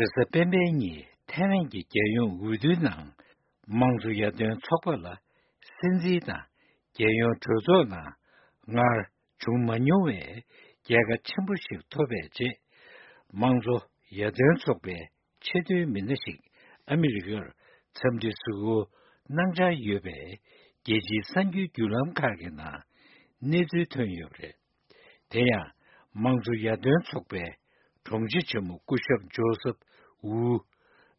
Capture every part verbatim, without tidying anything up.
རེས་གཟའ་སྤེན་པའི་ཉིན་ཐའེ་ཝན་གྱི་རྒྱལ་ཡོངས་འོས་བསྡུའི་ནང་། དམངས་གཙོ་ཡར་ཐོན་ཚོགས་པ་ལ་སྲིད་འཛིན་དང་རྒྱལ་ཡོངས་གྲོས་ཚོགས་ནང་སྔར་བྱུང་མ་མྱོང་བའི་རྒྱལ་ཁ་ཆེན་པོ་ཞིག་ཐོབ་པའི་རྗེས། དམངས་གཙོ་ཡར་ཐོན་ཚོགས་པའི་ཆེས་མཐོའི་མི་སྣ་ཞིག་ཨ་མི་རི་ཀར་འཚམས་འདྲི་གཟིགས་སྐོར་གནང་འཆར་ཡོད་པའི་རྒྱལ་སྤྱིའི་གསར་འགྱུར་བརྒྱུད་ལམ་ཁག་གི་ནང་གནས་ཚུལ་ཐོན་ཡོད་པ་རེད། དེ་ཡང་། དམངས་གཙོ་ཡར་ཐོན་ཚོགས་པའི་དྲུང་ཆེ་ཆེན་མོ་སྐུ་ཞབས་ཇོ་སབ་ཝུ།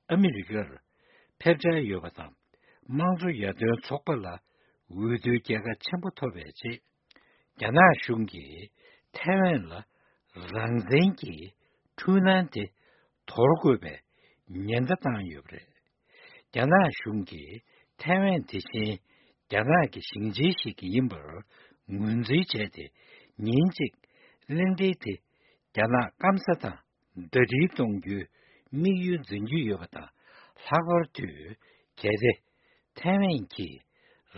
ཨ་མི་རི་ཀར་ཕེབས་འཆར་ཡོད་པ་དང་། དམངས་གཙོ་ཡར་ཐོན་ཚོགས་པ་ལ་འོས་བསྡུའི་རྒྱལ་ཁ་ཆེན་པོ་ཐོབ་པའི་རྗེས། རྒྱ་ནག་གཞུང་གིས་ཐའེ་ཝན་ལ་རང་བཙན་གྱི་འཁྲུལ་སྣང་དེ་དོར་དགོས་པའི་ཉེན་བརྡ་བཏང་ཡོད་པ་རེད། རྒྱ་ནག་གཞུང་གིས་ཐའེ་ཝན་དེ་བཞིན་རྒྱ་ནག་གི་ཞིང་ཆེན་ཞིག་ཡིན་པར་ངོས་འཛིན་བྱས་ཏེ། ཉིན་གཅིག་གླེང་སྟེགས་དེ་རྒྱ་ནག་སྐམ་ས་དང་ཟླ་སྒྲིལ་གཏོང་རྒྱུའི་དམིགས་ཡུལ་འཛིན་རྒྱུ་ཡོད་པ་དང་། ལྷག་པར་དུ་གལ་ཏེ་ཐའེ་ཝན་གྱིས་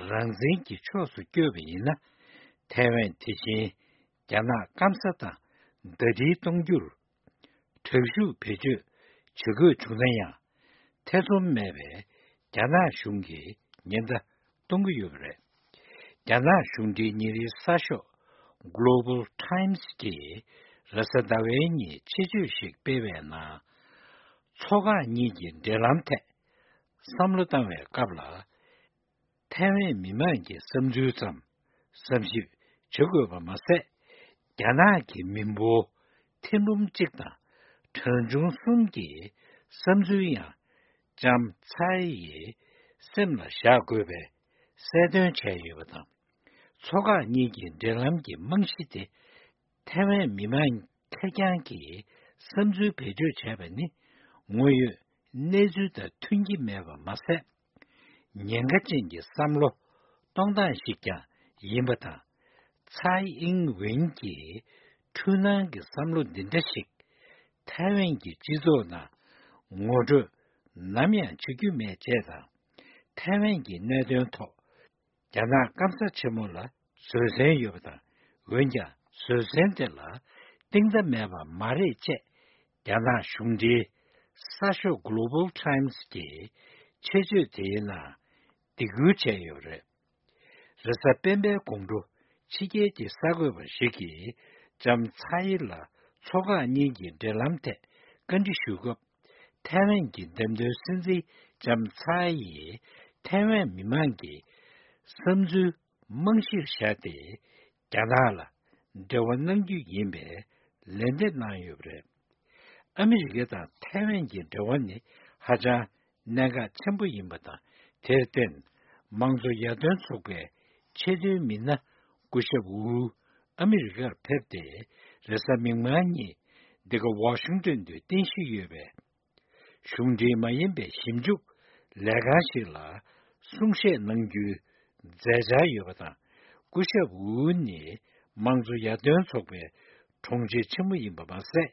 རང་བཙན་གྱི་ཕྱོགས་སུ་བསྐྱོད་པ་ཡིན་ན། ཐའེ་ཝན་དེ་བཞིན་རྒྱ་ནག་སྐམ་ས་དང་ཟླ་སྒྲིལ་གཏོང་རྒྱུར་དྲག་ཤུགས་བེད་སྤྱོད་བྱེད་དགོས་བྱུང་ན་ཡང་། ཐེ་ཚོམ་མེད་པའི་རྒྱ་ནག་གཞུང་གིས་ཉེན་བརྡ་གཏོང་གི་ཡོད་པ་རེད། རྒྱ་ནག་གཞུང་འབྲེལ་ཉིན་རེའི་གསར་ཤོག་Global Times གིས་རེས་གཟའ་ཟླ་བའི་ཉིན་ཆེད་བརྗོད་ཞིག་སྤེལ་བའི་ནང་། མཚོ་འགག་གཉིས་ཀྱི་འབྲེལ་ལམ་ཐད་བསམ་བློ་བཏང་བའི་སྐབས་ལ། ཐའེ་ཝན་མི་མང་གི་བསམ་ཚུལ་ཙམ་བསམ་ཞིབ་བྱེད་དགོས་པ་མ་ཟད། རྒྱ་ནག་གི་མི་འབོར་ཐེར་འབུམ་གཅིག་དང་གྲངས་ཆུང་གསུམ་གྱི་བསམ་ཚུལ་ཡང་ལྕམ་ཚའེ་ཡི་སེམས་ལ་བཞག་དགོས་པའི་གསལ་སྟོན་བྱས་ཡོད་པ་དང་། མཚོ་འགག་གཉིས་ཀྱི་འབྲེལ་ལམ་གྱི་རྨང་གཞི་དེ། ཐའེ་ཝན་མི་མང་ཁེར་རྐྱང་གིས་བསམ་ཚུལ་བེད་སྤྱོད་བྱས་པ་ནི། དངོས་ཡོད་གནས་ཚུལ་དང་མཐུན་གྱི་མེད་པ་མ་ཟད། ཉེན་ཁ་ཅན་གྱི་བསམ་བློ་གཏོང་སྟངས་ཤིག་ཀྱང་ཡིན་པ་དང་། ཚའེ་ཨིང་ཝེན་གྱི་འཁྲུལ་སྣང་གི་བསམ་བློ་འདི་འདྲ་ཞིག་ཐའེ་ཝན་གྱི་སྤྱི་ཚོགས་ནང་ངོ་སྤྲོད་ནམ་ཡང་བྱེད་རྒྱུ་མེད་ཅེས་དང་། ཐའེ་ཝན་གྱི་གནད་དོན་ཐོག་རྒྱ་ནག་སྐམ་ས་ཆེན་མོ་ལ་བཟོད་བསྲན་ཡོད་པ་དང་། འོན་ཀྱང་བཟོད་བསྲན་དེ་ལ་གཏིང་མཐའ་མེད་པ་མ་རེད་ཅེས་རྒྱ་ནག་གཞུང་འབྲེལ་གསར་ཤོག་Global Times གྱི་ཆེད་བརྗོད་དེའི་ནང་སྡིགས་སྐུལ་བྱས་ཡོད་པ་རེད། རེས་གཟའ་སྤེན་པའི་དགོང་དྲོ་ཕྱི་རྒྱལ་གྱི་གསར་འགོད་པ་ཞིག་གིས་ལྕམ་ཚའེ་ལ་མཚོ་འགག་གཉིས་ཀྱི་འབྲེལ་ལམ་ཐད་བཀའ་འདྲི་ཞུས་སྐབས། ཐའེ་ཝན་གྱི་འདེམས་ཐོན་སྲིད་འཛིན་ལྕམ་ཚའེ་ཡིས་ཐའེ་ཝན་མི་མང་གི་བསམ་ཚུལ་རྨང་གཞིར་བཞག་སྟེ། རྒྱ་ནག་ལ་འབྲེལ་བ་གནང་རྒྱུ་ཡིན་པའི་ལན་འདེབས་གནང་ཡོད་པ་རེད། ཨ་མི་རི་ཀ་དང་ཐའེ་ཝན་གྱི་འབྲེལ་བ་ནི་ཧ་ཅང་གནད་འགག་ཆེན་པོ་ཡིན་པ་དང་། དེར་བརྟེན། དམངས་གཙོ་ཡར་ཐོན་ཚོགས་པའི་ཆེས་མཐོའི་མི་སྣ་སྐུ་ཞབས་ཝུ་ཨ་མི་རི་ཀར་ཕེབས་ཏེ། རེས་གཟའ་མིག་དམར་ཉིན་འདི་ག་ཝ་ཤིང་ཏོན་དུ་རྟེན་གཞི་ཡོད་པའི་གཞུང་འབྲེལ་མ་ཡིན་པའི་ཞིབ་འཇུག་ལས་ཁང་ཞིག་ལ་གསུང་བཤད་གནང་རྒྱུའི་མཛད་འཆར་ཡོད་པ་དང་། སྐུ་ཞབས་ཝུ་ནི་དམངས་གཙོ་ཡར་ཐོན་ཚོགས་པའི་དྲུང་ཆེ་ཆེན་མོ་ཡིན་པ་མ་ཟད།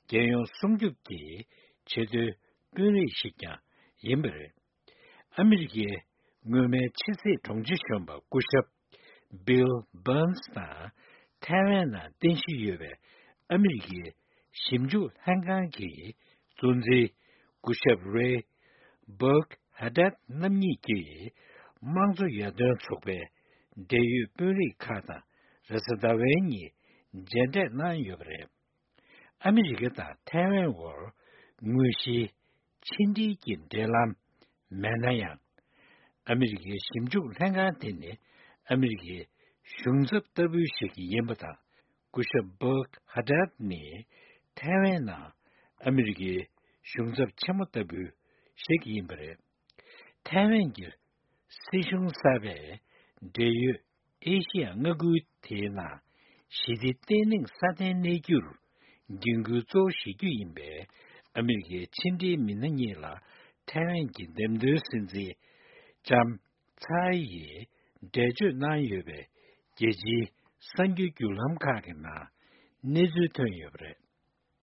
རྒྱལ་ཡོངས་སྲུང་སྐྱོབ་ཀྱི་ཆེས་མཐོའི་དཔོན་རིགས་ཤིག་ཀྱང་ཡིན་པ་རེད། ཨ་མི་རི་ཀའི་སྔོན་མའི་ཕྱི་སྲིད་དྲུང་ཆེ་གཞོན་པ་སྐུ་ཞབས་Bill Burns དང་ཐའེ་ཝན་ནང་རྟེན་གཞི་ཡོད་པའི་ཨ་མི་རི་ཀའི་ཞིབ་འཇུག་ལྷན་ཁང་གི་གཙོ་འཛིན་སྐུ་ཞབས་Ray Burkhardt རྣམ་གཉིས་ཀྱིས་དམངས་གཙོ་ཡར་ཐོན་ཚོགས་པའི་འབྲེལ་ཡོད་དཔོན་རིགས་ཁག་དང་རེས་གཟའ་ཟླ་བའི་ཉིན་མཇལ་འཕྲད་གནང་ཡོད་པ་རེད། ཨ་མི་རི་ཀ་དང་ཐའེ་ཝན་བར་དངོས་གཞིའི་ཕྱི་འབྲེལ་གྱི་འབྲེལ་ལམ་མེད་ན་ཡང་། ཨ་མི་རི་ཀའི་ཞིབ་འཇུག་ལྷན་ཁང་དེ་ནི་ཨ་མི་རི་ཀའི་གཞུང་ཚབ་ལྟ་བུ་ཞིག་ཡིན་པ་དང་། སྐུ་ཞབས་Burkhardt ནི་ཐའེ་ཝན་ནང་ཨ་མི་རི་ཀའི་གཞུང་ཚབ་ཆེན་མོ་ལྟ་བུ་ཞིག་ཡིན་པ་རེད། ཐའེ་ཝན་གྱི་སྲིད་གཞུང་གསར་པས་འབྲེལ་ཡོད་ཨེ་ཤི་ཡ་མངའ་ཁུལ་དེའི་ནང་ཞི་བདེ་བརྟན་ལྷིང་སྲ་བརྟན་གནས་རྒྱུར་འགན་འཁུར་གཙོ་བོ་བཞེས་རྒྱུ་ཡིན་པའི་ཨ་མི་རི་ཀའི་ཕྱི་འབྲེལ་མི་སྣ་གཉིས་ལ་ཐའེ་ཝན་གྱི་འདེམས་ཐོན་སྲིད་འཛིན་ལྕམ་ཚའེ་ཡིས་འགྲེལ་བརྗོད་གནང་ཡོད་པའི་རྒྱལ་སྤྱིའི་གསར་འགྱུར་བརྒྱུད་ལམ་ཁག་གི་ནང་གནས་ཚུལ་ཐོན་ཡོད་པ་རེད།